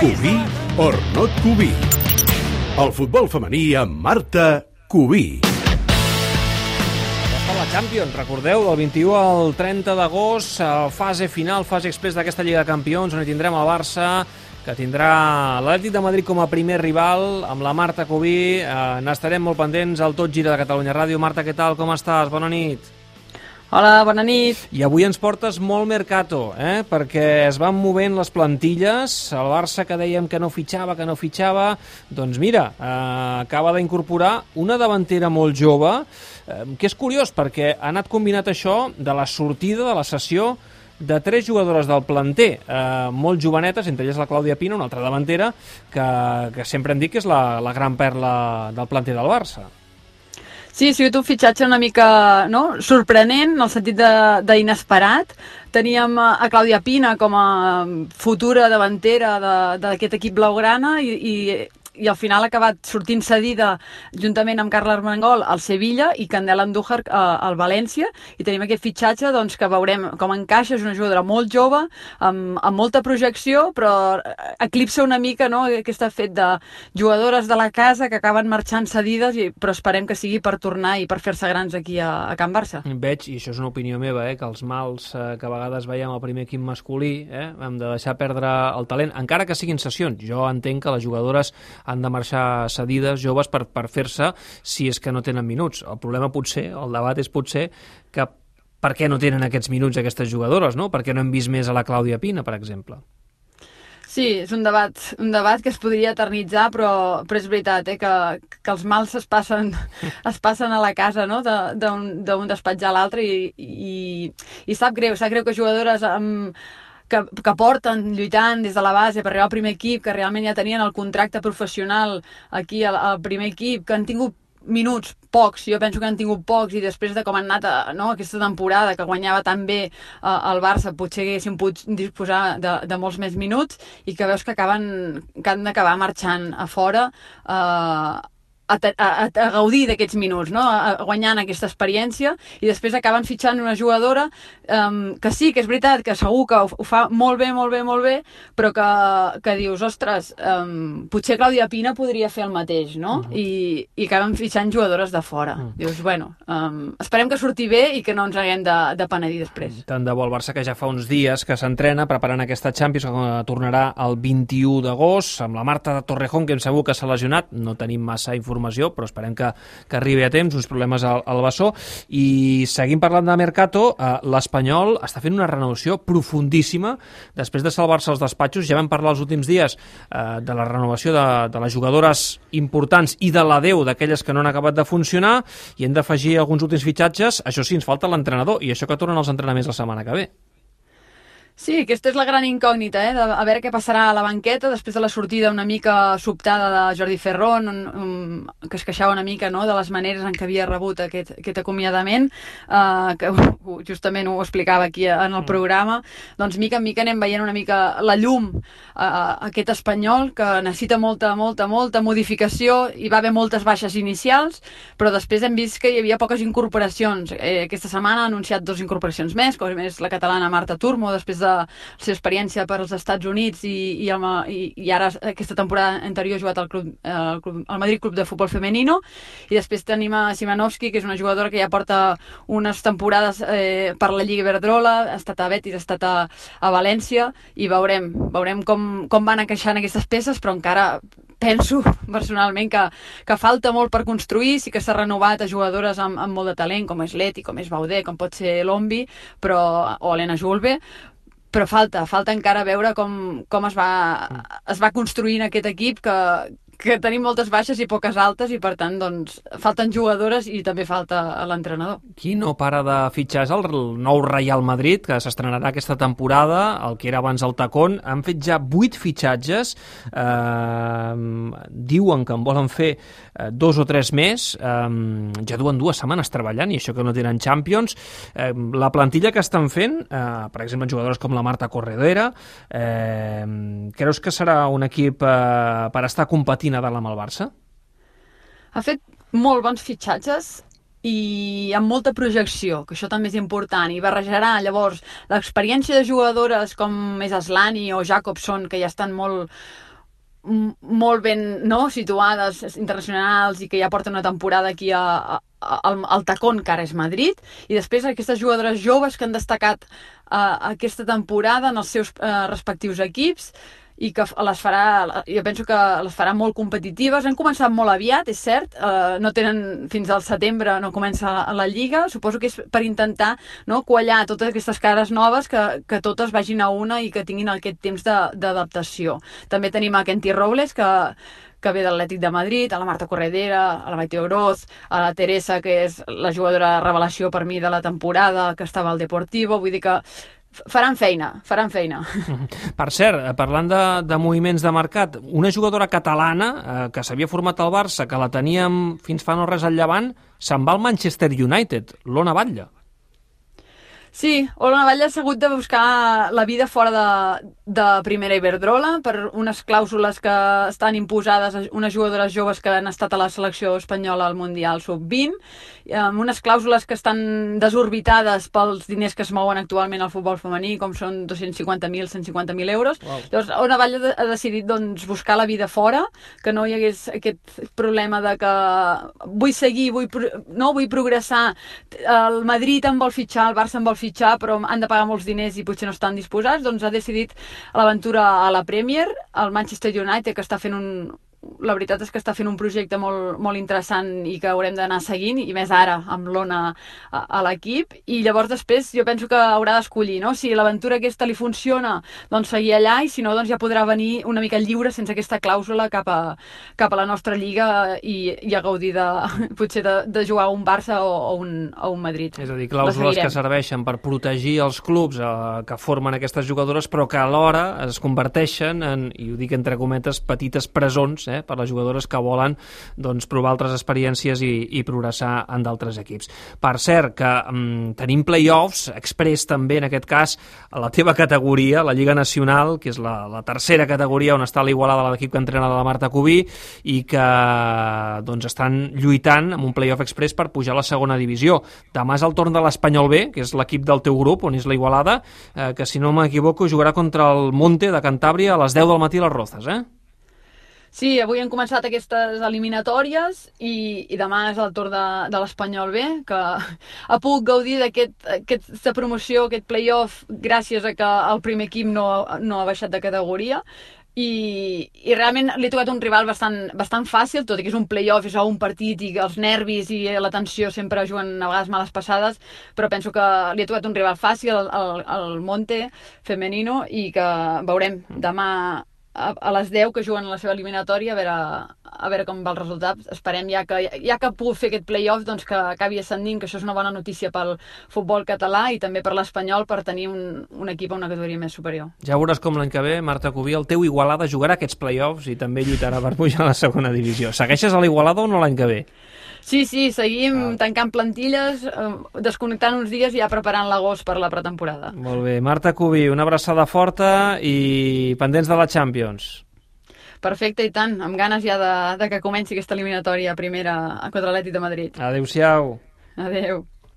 Cubí or not Cubí. El futbol femení amb Marta Cubí. Per la Champions, recordeu, del 21 al 30 d'agost, fase final, fase express d'aquesta Lliga de Campions, on hi tindrem el Barça, que tindrà l'Atlètic de Madrid com a primer rival, amb la Marta Cubí. N'estarem molt pendents al Tot Gira de Catalunya Ràdio. Marta, què tal? Com estàs? Bona nit. Hola, bona nit. I avui ens portes molt mercato, perquè es van movent les plantilles. El Barça, que dèiem que no fitxava, doncs mira, acaba d'incorporar una davantera molt jove, que és curiós, perquè ha anat combinat això de la sortida de la cessió de 3 jugadores del planter, molt jovenetes, entre elles la Clàudia Pina, una altra davantera, que sempre hem dit que és la gran perla del planter del Barça. Sí, ha sigut un fitxatge una mica sorprenent, en el sentit d'inesperat. Teníem a Clàudia Pina com a futura davantera d'aquest equip blaugrana i al final ha acabat sortint cedida juntament amb Carla Armengol al Sevilla i Candela Andújar al València, i tenim aquest fitxatge que veurem com encaixa. És una jugadora molt jove, amb molta projecció, però eclipsa una mica aquest fet de jugadores de la casa que acaben marxant cedides, però esperem que sigui per tornar i per fer-se grans aquí a Can Barça. Veig, i això és una opinió meva, que els mals que a vegades veiem al primer equip masculí, hem de deixar perdre el talent, encara que siguin sessions. Jo entenc que les jugadores han de marxar cedides, joves, per fer-se, si és que no tenen minuts. El problema el debat és potser que per què no tenen aquests minuts aquestes jugadores, no? Per què no hem vist més a la Clàudia Pina, per exemple? Sí, és un debat que es podria eternitzar, però és veritat, que els mals es passen a la casa, d'un despatx a l'altre, i sap greu que jugadores que porten lluitant des de la base per arribar al primer equip, que realment ja tenien el contracte professional aquí al primer equip, que han tingut minuts pocs, jo penso que han tingut pocs, i després de com han anat aquesta temporada, que guanyava tan bé el Barça, potser haguessin pogut disposar de molts més minuts, i que veus que han d'acabar marxant a fora a gaudir d'aquests minuts, guanyant aquesta experiència, i després acaben fitxant una jugadora que sí, que és veritat, que segur que ho fa molt bé, però que dius, ostres, potser Clàudia Pina podria fer el mateix, I acaben fitxant jugadores de fora. Dius, bueno, esperem que surti bé i que no ens haguem de penedir després. Tant de bo. El Barça, que ja fa uns dies que s'entrena preparant aquesta Champions, que tornarà el 21 d'agost, amb la Marta Torrejón, que hem sabut que s'ha lesionat. No tenim massa informació, però esperem que arribi a temps, uns problemes al bessó. I seguim parlant de mercato. L'Espanyol està fent una renovació profundíssima després de salvar-se els despatxos. Ja vam parlar els últims dies de la renovació de les jugadores importants i de l'adeu d'aquelles que no han acabat de funcionar, i hem d'afegir alguns últims fitxatges. Això sí, ens falta l'entrenador, i això que tornen els entrenaments la setmana que ve. Sí, aquesta és la gran incògnita, a veure què passarà a la banqueta després de la sortida una mica sobtada de Jordi Ferrón, que es queixava una mica de les maneres en què havia rebut aquest acomiadament, que justament ho explicava aquí en el programa. Doncs mica en mica anem veient una mica la llum a aquest Espanyol, que necessita molta modificació. Hi va haver moltes baixes inicials, però després hem vist que hi havia poques incorporacions. Aquesta setmana ha anunciat 2 incorporacions més, com és la catalana Marta Turmo, després de la seva experiència per als Estats Units, i ara aquesta temporada anterior ha jugat al Madrid Club de Futbol Femenino. I després tenim a Simanovski, que és una jugadora que ja porta unes temporades per la Lliga Iberdrola, ha estat a Betis, ha estat a València, i veurem com van encaixant aquestes peces, però encara penso personalment que falta molt per construir. Sí que s'ha renovat a jugadores amb molt de talent, com és Leti, com és Baudé, com pot ser Lombi, o Helena Julve, però falta encara veure com es va construint aquest equip, que tenim moltes baixes i poques altes, i per tant doncs falten jugadores i també falta l'entrenador. Qui no para de fitxar és el nou Real Madrid, que s'estrenarà aquesta temporada, el que era abans el Tacón. Han fet ja 8 fitxatges, diuen que en volen fer 2 o 3 més, ja duen 2 setmanes treballant, i això que no tenen Champions. La plantilla que estan fent, per exemple, jugadores com la Marta Corredera, creus que serà un equip per estar competint a dalt amb el Barça? Ha fet molt bons fitxatges i amb molta projecció, que això també és important, i barrejarà llavors l'experiència de jugadores com és Aslani o Jacobson, que ja estan molt molt ben situades, internacionals, i que ja porten una temporada aquí al tacón que ara és Madrid, i després aquestes jugadores joves que han destacat aquesta temporada en els seus respectius equips, i que jo penso que les farà molt competitives. Han començat molt aviat, és cert, no tenen fins al setembre, no comença la Lliga, suposo que és per intentar quallar totes aquestes cares noves, que totes vagin a una i que tinguin aquest temps d'adaptació. També tenim a Kenty Robles, que ve de l'Atlètic de Madrid, a la Marta Corredera, a la Maite Oroz, a la Teresa, que és la jugadora revelació per mi de la temporada, que estava al Deportivo, vull dir que faran feina. Per cert, parlant de moviments de mercat, una jugadora catalana que s'havia format al Barça, que la teníem fins fa no res al Llevant, se'n va al Manchester United, l'Ona Batlle. Sí, Ona Batlle ha hagut de buscar la vida fora de Primera Iberdrola per unes clàusules que estan imposades a unes jugadores joves que han estat a la selecció espanyola al Mundial Sub-20, amb unes clàusules que estan desorbitades pels diners que es mouen actualment al futbol femení, com són 250.000, 150.000 euros. Wow. Llavors, Ona Batlle ha decidit buscar la vida fora, que no hi hagués aquest problema de que vull seguir, vull progressar, el Madrid em vol fitxar, el Barça em vol fitxar, però han de pagar molts diners i potser no estan disposats, doncs ha decidit l'aventura a la Premier, al Manchester United, que està fent la veritat és que està fent un projecte molt, molt interessant i que haurem d'anar seguint, i més ara amb l'Ona a l'equip, i llavors després jo penso que haurà d'escollir, no? Si l'aventura aquesta li funciona, doncs seguir allà, i si no, doncs ja podrà venir una mica lliure sense aquesta clàusula cap a la nostra lliga i a gaudir potser de jugar a un Barça o un Madrid. És a dir, clàusules que serveixen per protegir els clubs que formen aquestes jugadores, però que alhora es converteixen en, i ho dic entre cometes, petites presons per les jugadores que volen provar altres experiències i progressar en d'altres equips. Per cert, que tenim play-offs, express també en aquest cas, a la teva categoria, la Lliga Nacional, que és la tercera categoria on està l'Igualada, l'equip que entrena la Marta Cubí, i que estan lluitant amb un play-off express per pujar a la segona divisió. Demà és el torn de l'Espanyol B, que és l'equip del teu grup, on és la Igualada, que si no m'equivoco jugarà contra el Monte de Cantàbria a les 10 del matí a les Rozas, Sí, avui han començat aquestes eliminatòries i demà és el torn de l'Espanyol B, que ha pogut gaudir d'aquesta promoció, aquest play-off, gràcies a que el primer equip no ha baixat de categoria, i realment li ha tocat un rival bastant fàcil, tot i que és un play-off, és un partit, i els nervis i la tensió sempre juguen a vegades males passades, però penso que li ha tocat un rival fàcil, el Monte femenino, i que veurem demà a les 10 que juguen la seva eliminatòria, a veure com va el resultat. Esperem ja que ha pogut fer aquest play-off, doncs que acabi ascendint, que això és una bona notícia pel futbol català i també per l'Espanyol, per tenir un equip a una categoria més superior. Ja veuràs com l'any que ve, Marta Cubí, el teu Igualada jugarà aquests play-offs i també lluitarà per pujar a la segona divisió. Segueixes a l'Igualada o no l'any que ve? Sí, seguim tancant plantilles, desconnectant uns dies i ja preparant l'agost per la pretemporada. Molt bé. Marta Cubí, una abraçada forta i pendents de la Champions. Perfecte, i tant. Amb ganes ja de que comenci aquesta eliminatòria primera contra l'Atlètic de Madrid. Adéu-siau. Adéu.